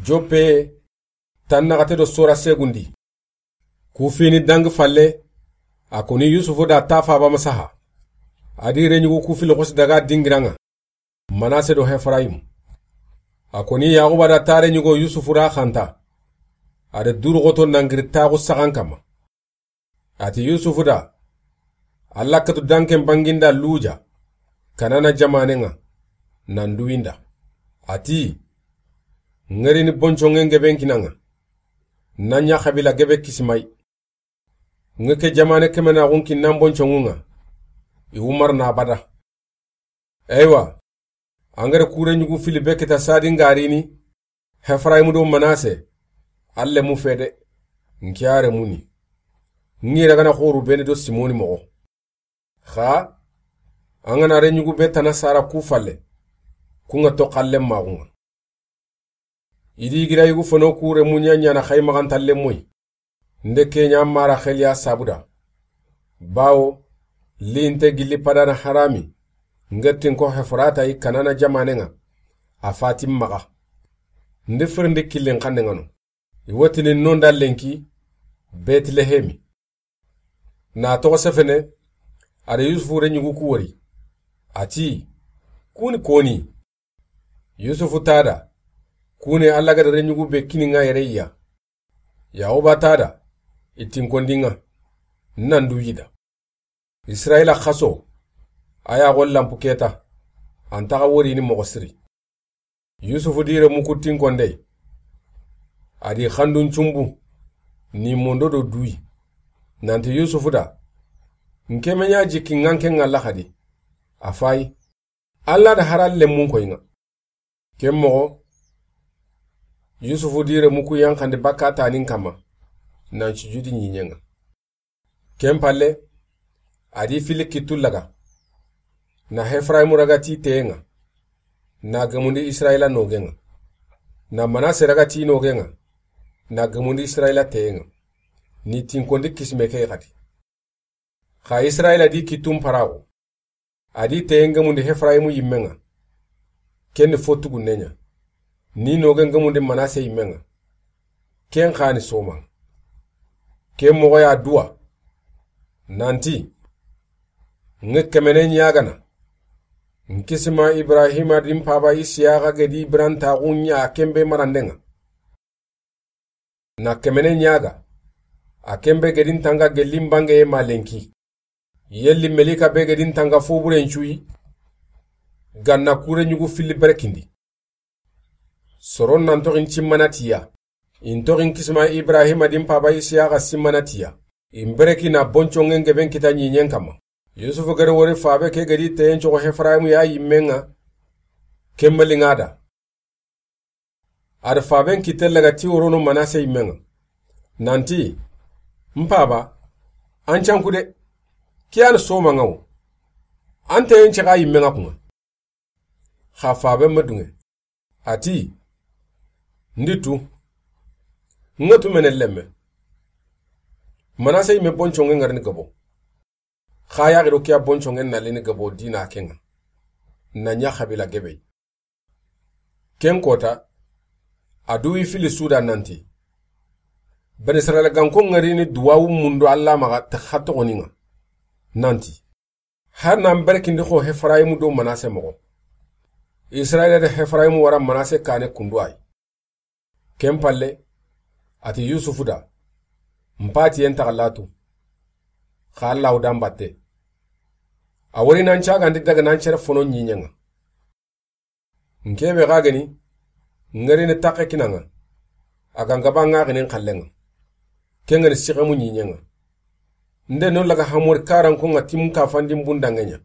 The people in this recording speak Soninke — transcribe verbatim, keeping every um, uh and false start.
Joppe, tannaxate do sora segundi. Ku fini dangi falle, a koni Yusufu da ta faba masaha. A di reɲugu ku fili xosi daga dingira ŋa, Manase do Hefrayim. A koni Yaxuba da ta reɲugo Yusufu ra xanta. A di duru xoto nangiri taxu saxan kama. A ti Yusufu da, Alla katu danken banginda luja, Kanana jamanen ŋa, nan duwinda. A ti, Ŋerini bonconŋen geben kinaŋa, na ɲa xabila gebe kisimay. Ŋe ke jamane kemenaxun kinnan bonconŋun ŋa, i wumar na bada. Eywa, an gere kure ɲugu fili be kita sadin garini, Hefrayim do Manase, alle mu fede, nkiyare muni. Ngira gana xoru bene do Simoni moxo. Xa, an gana reɲugu be tana sara ku falle, ku ŋa to xallen maxun ŋa. I di gira yugu fono kure muɲa ɲana xay maxantalle moy. Nde keɲa mara xeliya sabuda. Bawo, linte gilli padana harami, ngettin ko Hefrata i Kanana jamanen ŋa, a fatin maxa. Ndi firindi killin xannen ŋa no. I wotini nonda lenki, Betlehemi. Na toxo sefene, a da Yusufu reɲugu ku wori. A ti, Kuni koni? Yusufu tada, Kuni Alla gada reɲugu be kini ŋa yere iya. Yaxuba tada, i tinkondi ŋa, nan du yida. Israila xaso, a ya xo lampu keta, an taxa worini moxo siri. Yusufu di remu ku tinkonde, a di xandun cumbu, ni mondo do duyi. Nanti Yusufu da, Nke me ɲa jikki ŋa nke ŋa laxadi. A fayi, Alla da hara lemmun koyi ŋa. Ken moxo, Yusufu di remu ku yanxandi bakka tanin kama, nan sujudi ɲiɲen ŋa. Ken palle, a di fili kittu laga. Na Hefrayimu raga ti teyen ŋa, na gemundi Israyila nogen ŋa. Na Manase raga ti nogen ŋa, na gemundi Israyila teyen ŋa. Ni tinkondi kisime ke xati. Xa Israyila di kittun paraxu. A di teyen gemundi Hefrayimu yimmen ŋa. Ken ni fo tugunnen ɲa. Ni nogen gemundi Manase yimmen ŋa. Ken xa ni soma. Ken moxo ya duwa. Nanti, Ŋe kemene ɲagana. Nkisima Ibrahima din paba Isiyaxa gedi birantaxu ɲa a kenbe maranden ŋa. Na kemene ɲaga, a kenbe gedin tanga gellin bangeye ma lenki. Yelli melika be gedin tanga foburen cuyi, ganna kure ɲugu filli berekindi. Soron nan toxin cimmana tiya. In toxin kisima Ibrahima din paba Isiyaxa simmana tiya. In bereki na bonconŋen geben kita ɲiɲen kama. Yusufu gere wori fabe ke gedi teyen coxo Hefrayimu ya yimmen ŋa, kemma linŋa da. A da faben kitte laga ti worono Manase yimmen ŋa. Nanti, N paba, an canku de, ke yani soma ŋa wo. An teyen cexa yimmen ŋa kun ŋa. Xa faben ma dunŋe. A ti, Ndi tu, ŋa tu mene lemme. Manase yimme bonconŋen ŋarini gabo. Xa yaxi do ke ya bonconŋen na lini gabo dina ken ŋa. Na ɲa xabila gebe. Ken kota, a duwi fili suda nanti, Bani Israyila ganko ŋarini duwawu mundu Alla maxa ta xa toxoni ŋa. Nanti, Har nan berekindi xo Hefrayimu do Manase moxo. Israyila da Hefrayimu wara Manase kane kundu ay. Ken palle, a ti Yusufu da, N pati yen taxa latu. Xa Alla wudan batte. A wori nan cagandi daga nan cere fono ɲiɲen ŋa. N kebe xa geni, ŋerini taxe kinan ŋa. A ga n gaba ŋaxinin xallen ŋa. Ken geni sixemu ɲiɲen ŋa. Nde no laga hamori karankon ŋa timu kafandin bundanŋe ɲa.